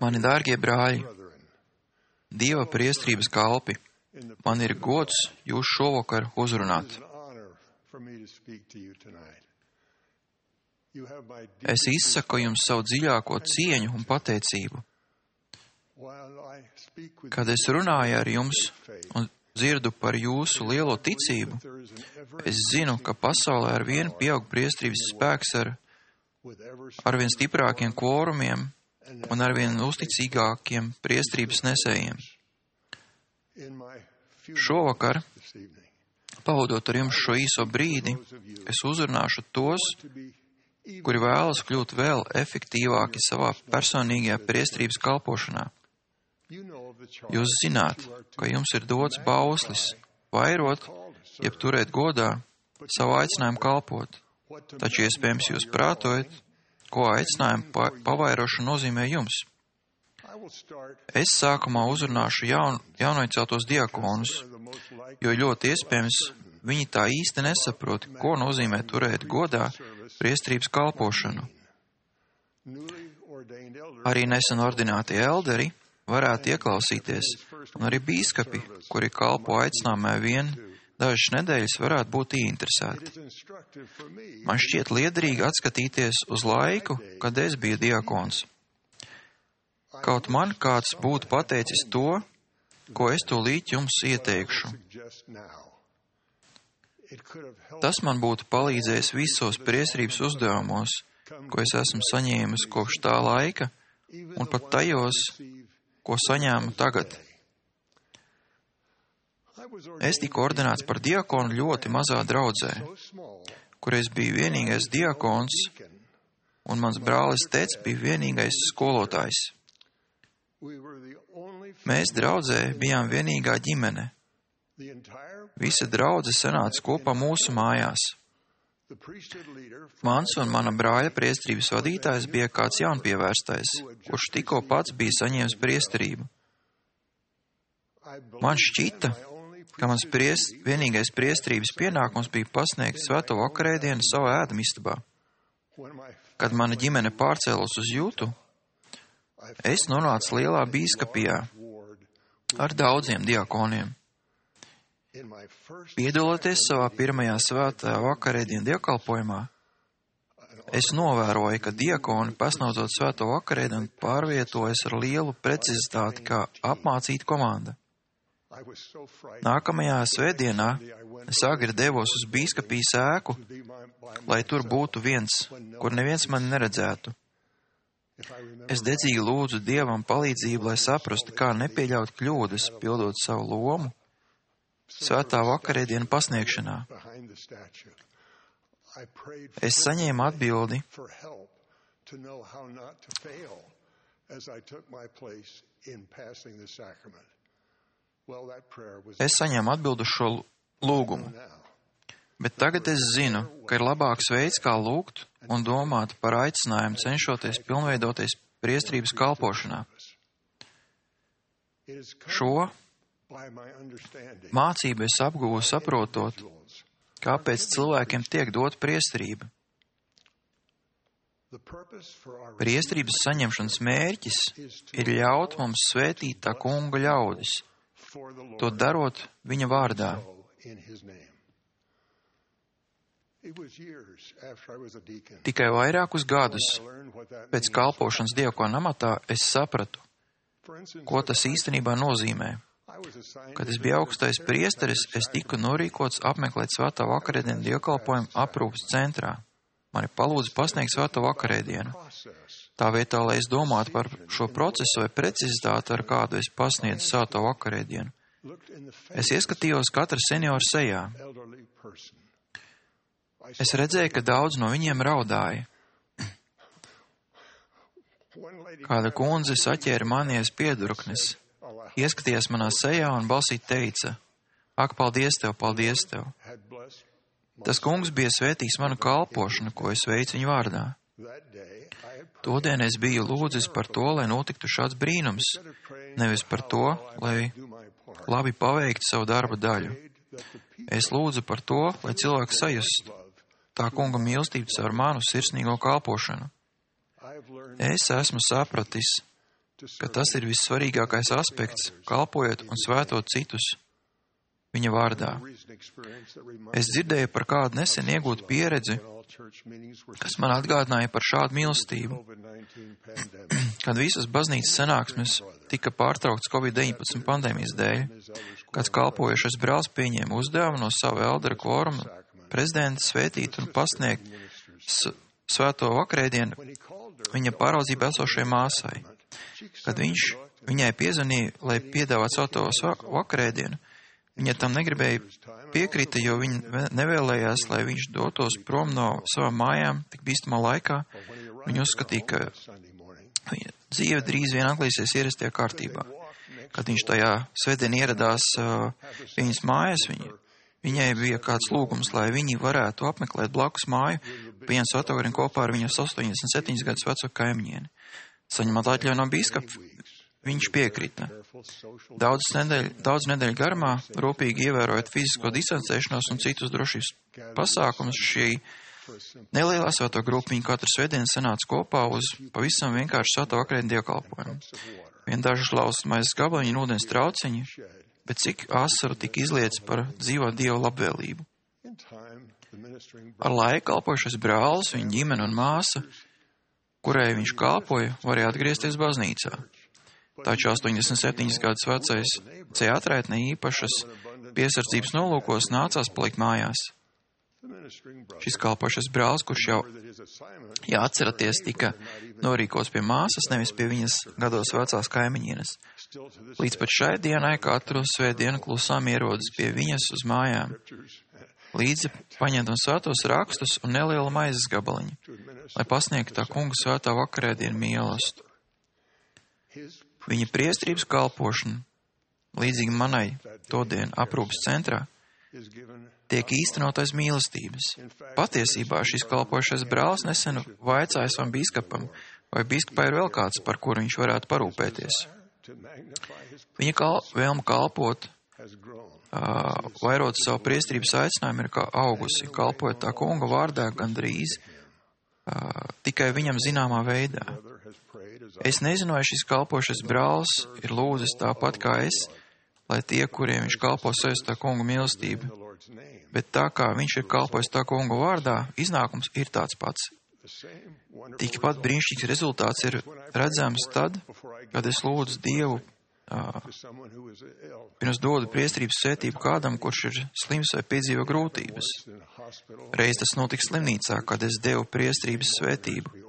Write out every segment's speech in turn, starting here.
Mani dārgie brāļi, Dieva priestrības kalpi, man ir gods jūs šovakar uzrunāt. Es izsaku jums savu dziļāko cieņu un pateicību. Kad es runāju ar jums un dzirdu par jūsu lielo ticību, es zinu, ka pasaulē ar vienu pieaug priestrības spēks ar vien stiprākiem kvorumiem un ar vien uzticīgākiem priestrības nesējiem. Šovakar, pavadot ar jums šo īso brīdi, es uzrunāšu tos, kuri vēlas kļūt vēl efektīvāki savā personīgajā priestrības kalpošanā. Jūs zināt, ka jums ir dots bauslis vairot, jeb turēt godā savu aicinājumu kalpot, taču iespējams jūs prātojat, ko aicinājumu pavairošana nozīmē jums. Es sākumā uzrunāšu jaunoieceltos diakonus, jo ļoti iespējams viņi tā īsti nesaprot, ko nozīmē turēt godā priestrības kalpošanu. Arī nesen ordinātie elderi varētu ieklausīties, un arī bīskapi, kuri kalpo aicinājumā vien dažas nedēļas, varētu būt ieinteresēti. Man šķiet liederīgi atskatīties uz laiku, kad es biju diakons. Kaut man kāds būtu pateicis to, ko es tūlīt jums ieteikšu. Tas man būtu palīdzējis visos priestrības uzdevumos, ko es esmu saņēmis kopš tā laika, un pat tajos, ko saņēmu tagad. Es tiku ordinēts par diakonu ļoti mazā draudzē, kur es biju vienīgais diakons, un mans brālis Teds bija vienīgais skolotājs. Mēs draudzē bijām vienīgā ģimene. Visa draudze sanāca kopā mūsu mājās. Mans un mana brāļa priesterības vadītājs bija kāds jaunpievērstais, kurš tikko pats bija saņēmis priesterību. Man šķita, ka mans vienīgais priesterības pienākums bija pasniegt svēto vakarēdienu savā ēdamistabā. Kad mana ģimene pārcēlos uz Jūtu, es nonācu lielā bīskapijā ar daudziem diakoniem. Piedaloties savā pirmajā svētā vakarēdienu dievkalpojumā, es novēroju, ka diakoni, pasniedzot svēto vakarēdienu, pārvietojas ar lielu precizitāti kā apmācīta komanda. Nākamajā svētdienā es agri devos uz bīskapijas ēku, lai tur būtu viens, kur neviens mani neredzētu. Es dedzīgi lūdzu Dievam palīdzību, lai saprastu, kā nepieļaut kļūdas, pildot savu lomu svētā vakarēdienu pasniegšanā. Es saņēmu atbildi, uz šo lūgumu, bet tagad es zinu, ka ir labāks veids, kā lūgt un domāt par aicinājumu, cenšoties pilnveidoties priesterības kalpošanā. Šo mācību es apguvu saprotot, kāpēc cilvēkiem tiek dot priesterība. Priesterības saņemšanas mērķis ir ļaut mums svētīt tā kunga ļaudis, to darot viņa vārdā. Tikai vairākus gadus pēc kalpošanas diakona amatā es sapratu, ko tas īstenībā nozīmē. Kad es biju augstais priesteris, es tiku norīkots apmeklēt svētā vakarēdienu dievkalpojumu aprūpes centrā. Mani palūdza pasniegt svēto vakarēdienu. Tā vietā, lai es domātu par šo procesu vai precizitāti, ar kādu es pasniedzu svēto vakarēdienu, es ieskatījos katra seniora sejā. Es redzēju, ka daudz no viņiem raudāja. Kāda kundze saķēra manies piedurknes, ieskatījās manā sejā un balsī teica: Ak, paldies tev, paldies tev! Tas kungs bija svētījis manu kalpošanu, ko es veicu viņa vārdā. Todien es biju lūdzis par to, lai notiktu šāds brīnums, nevis par to, lai labi paveiktu savu darba daļu. Es lūdzu par to, lai cilvēks sajustu tā kunga mīlestību caur manu sirsnīgo kalpošanu. Es esmu sapratis, ka tas ir vissvarīgākais aspekts, kalpojot un svētot citus viņa vārdā. Es dzirdēju par kādu nesen iegūtu pieredzi, kas man atgādināja par šādu mīlestību. Kad visas baznīcas sanāksmes tika pārtrauktas Covid-19 pandēmijas dēļ, kāds kalpojušais brālis pieņēma uzdevumu no sava eldera kvoruma prezidenta svētīt un pasniegt svēto vakarēdienu viņa pāraudzībā esošajai māsai. Kad viņš viņai piezvanīja, lai piedāvātu svēto vakarēdienu, viņa tam negribēja piekrita, jo viņa nevēlējās, lai viņš dotos prom no savām mājām tik bīstamā laikā. Viņa uzskatīja, ka viņa dzīve drīz vien atgriezīsies ierastajā kārtībā. Kad viņš tajā svētdien ieradās viņas mājas, viņai bija kāds lūgums, lai viņi varētu apmeklēt blakus māju, pieņemt svētvakarēdienu kopā ar viņas 87 gadus veco kaimiņieni. Saņemot atļauju no bīskapa, viņš piekrita. Daudz nedēļu garumā, rūpīgi ievērojot fizisko distancēšanos un citus drošības pasākumus, šī nelielā svēto grupa viņa katru svētdienu sanāca kopā uz pavisam vienkārši svēto vakarēdienu dievkalpojumu. Vien dažas lausas maizes gabaliņi un ūdens trauciņi, bet cik asaru tika izlietas par dzīvo Dievu labvēlību. Ar laiku kalpojušais brālis, viņa ģimene un māsa, kurai viņš kalpoja, varēja atgriezties baznīcā. Taču 87 gadus vecais ceatraitne īpašas piesardzības nolūkos nācās palikt mājās. Šis kalpošais brālis, kurš jau, ja atceraties, tika norīkots pie māsas, nevis pie viņas gados vecās kaimiņienes. Līdz pat šai dienai katru svētdienu klusām ierodas pie viņas uz mājām. Līdzi paņemtam svētos rakstus un nelielu maizes gabaliņu, lai pasniegtu tā kunga svētā vakarēdienu mīlestību. Viņa priestrības kalpošana, līdzīgi manai todien aprūpas centrā, tiek īstenot aiz mīlestības. Patiesībā šis kalpošais brālis nesen vaicāja savam bīskapam, vai bīskapā ir vēl kāds, par kuru viņš varētu parūpēties. Viņa vēlme kalpot, vairot savu priestrības aicinājumu, ir kā augusi, kalpojot tā kunga vārdā gandrīz tikai viņam zināmā veidā. Es nezinu, vai šis kalpošais brālis ir lūdzis tāpat kā es, lai tie, kuriem viņš kalpo sevis tā kunga mīlestību, bet tā kā viņš ir kalpojis tā kunga vārdā, iznākums ir tāds pats. Tikpat brīnišķīgs rezultāts ir redzams tad, kad es lūdzu Dievu, pirms dodu priestrības svētību kādam, kurš ir slims vai piedzīvo grūtības. Reiz tas notika slimnīcā, kad es devu priestrības svētību,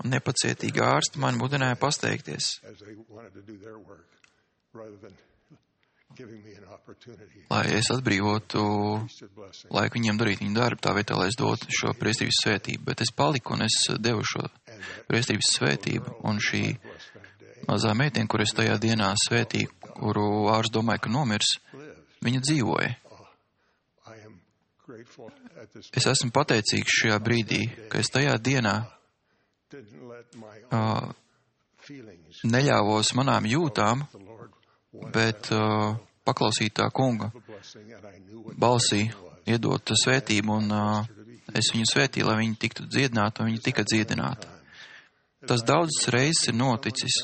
un nepacietīgi ārsti man mudināja pasteikties, lai es atbrīvotu laiku viņiem darīt viņu darbu, tā vietā, lai es dotu šo priestrības svētību. Bet es paliku un es devu šo priestrības svētību, un šī mazā meitiene, kur es tajā dienā svētīju, kuru ārsts domāja, ka nomirs, viņa dzīvoja. Es esmu pateicīgs šajā brīdī, ka es tajā dienā neļāvos manām jūtām, bet paklausīt tā kunga balsī, iedot svētību, un es viņu svētīju, lai viņi tiktu dziedināti, un viņi tika dziedināti. Tas daudzas reizes ir noticis,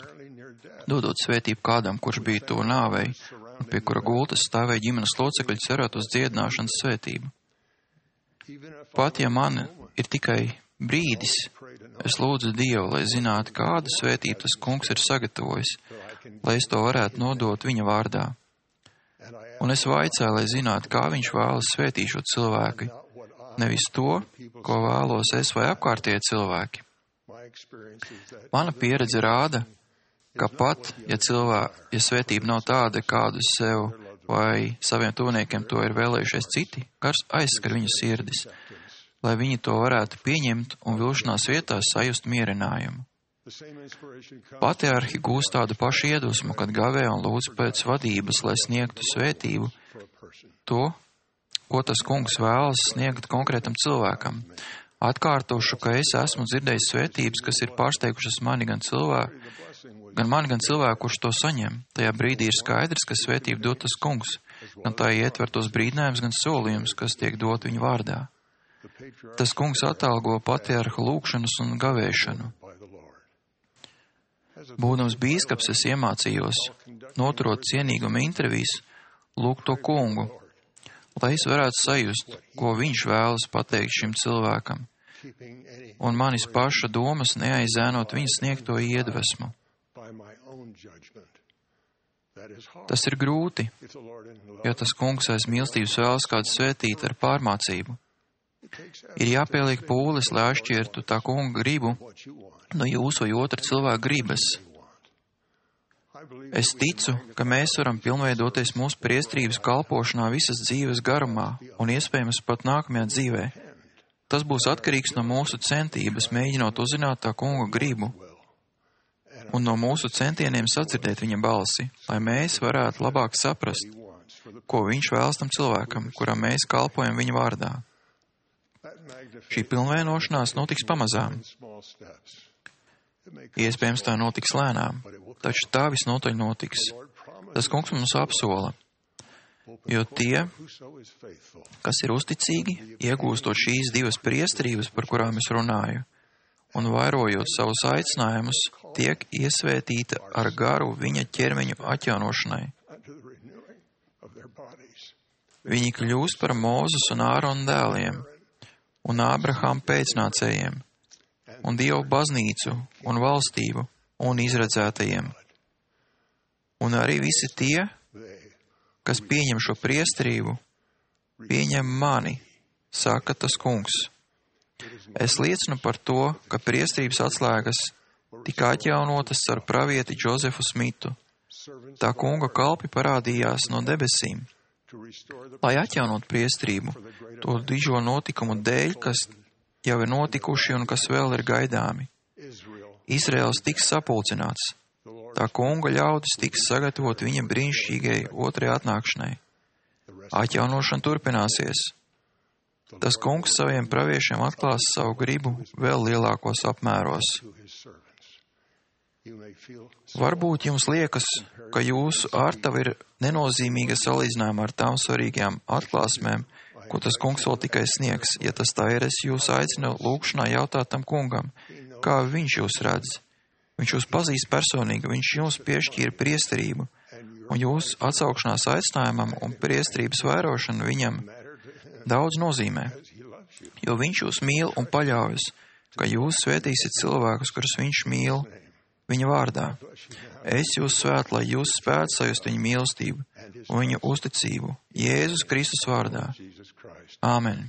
dodot svētību kādam, kurš bija to nāvei, un pie kura gultas stāvēja ģimenes locekļi cerot uz dziedināšanas svētību. Pat ja man ir tikai brīdis, es lūdzu Dievu, lai zinātu, kādu svētību tas kungs ir sagatavojis, lai es to varētu nodot viņa vārdā. Un es vaicāju, lai zinātu, kā viņš vēlas svētīt šo cilvēku, nevis to, ko vēlos es vai apkārtie cilvēki. Mana pieredze rāda, ka pat, ja svētība nav tāda, kādu sev vai saviem tuviniekiem to ir vēlējušies citi, kas aizskar viņu sirdis, lai viņi to varētu pieņemt un vilšanās vietās sajust mierinājumu. Patriarhi gūst tādu pašu iedvesmu, kad gavē un lūdz pēc vadības, lai sniegtu svētību to, ko tas kungs vēlas sniegt konkrētam cilvēkam. Atkārtošu, ka es esmu dzirdējis svētības, kas ir pārsteigušas mani gan cilvēku, kurš to saņem. Tajā brīdī ir skaidrs, ka svētību dod tas kungs, gan tā ietver tos brīdinājums, gan solījums, kas tiek dot viņa vārdā. Tas kungs atalgo patriarhu lūgšanas un gavēšanu. Būdams bīskaps, es iemācījos, noturot cienīguma intervijas, lūgt to kungu, lai es varētu sajust, ko viņš vēlas pateikt šim cilvēkam, un manis paša domas neaizēnot viņa sniegto iedvesmu. Tas ir grūti, ja tas kungs aiz mīlestības vēlas kādu svētīt ar pārmācību. Ir jāpieliek pūles, lai atšķirtu tā kunga gribu no jūsu vai otra cilvēka gribas. Es ticu, ka mēs varam pilnveidoties mūsu priestrības kalpošanā visas dzīves garumā un iespējams pat nākamajā dzīvē. Tas būs atkarīgs no mūsu centības, mēģinot uzzināt tā kunga gribu un no mūsu centieniem sadzirdēt viņa balsi, lai mēs varētu labāk saprast, ko viņš vēlas tam cilvēkam, kuram mēs kalpojam viņa vārdā. Šī pilnveidošanās notiks pamazām. Iespējams, tā notiks lēnām, taču tā visnotaļ notiks. Tas kungs mums apsola, jo tie, kas ir uzticīgi, iegūstot šīs divas priesterības, par kurām es runāju, un vairojot savus aicinājumus, tiek iesvētīta ar garu viņa ķermeņu atjaunošanai. Viņi kļūst par Mūzes un Ārona dēliem, un Ābrahama pēcnācējiem, un Dievu baznīcu, un valstību, un izredzētajiem. Un arī visi tie, kas pieņem šo priesterību, pieņem mani, saka tas kungs. Es liecinu par to, ka priesterības atslēgas tika atjaunotas ar pravieti Džozefu Smitu. Tā kunga kalpi parādījās no debesīm, lai atjaunot priesterību, to dižo notikumu dēļ, kas jau ir notikuši un kas vēl ir gaidāmi. Izraels tiks sapulcināts. Tā kunga ļaudis tiks sagatavot viņa brīnišķīgai otrajai atnākšanai. Atjaunošana turpināsies. Tas kungs saviem praviešiem atklās savu gribu vēl lielākos apmēros. Varbūt jums liekas, ka jūsu ārtava ir nenozīmīga salīdzinājumā ar tām svarīgajām atklāsmēm, ko tas kungs vēl tikai sniegs. Ja tas tā ir, es jūs aicinu lūgšanā jautāt tam kungam, kā viņš jūs redz. Viņš jūs pazīst personīgi, viņš jums piešķīra priesterību, un jūsu atsaukšanās aicinājumam un priesterības vairošanu viņam daudz nozīmē, jo viņš jūs mīl un paļaujas, ka jūs svētīsiet cilvēkus, kurus viņš mīl viņa vārdā. Es jūs svētu, lai jūs spētu sajust viņa mīlestību un viņa uzticību Jēzus Kristus vārdā. Āmen.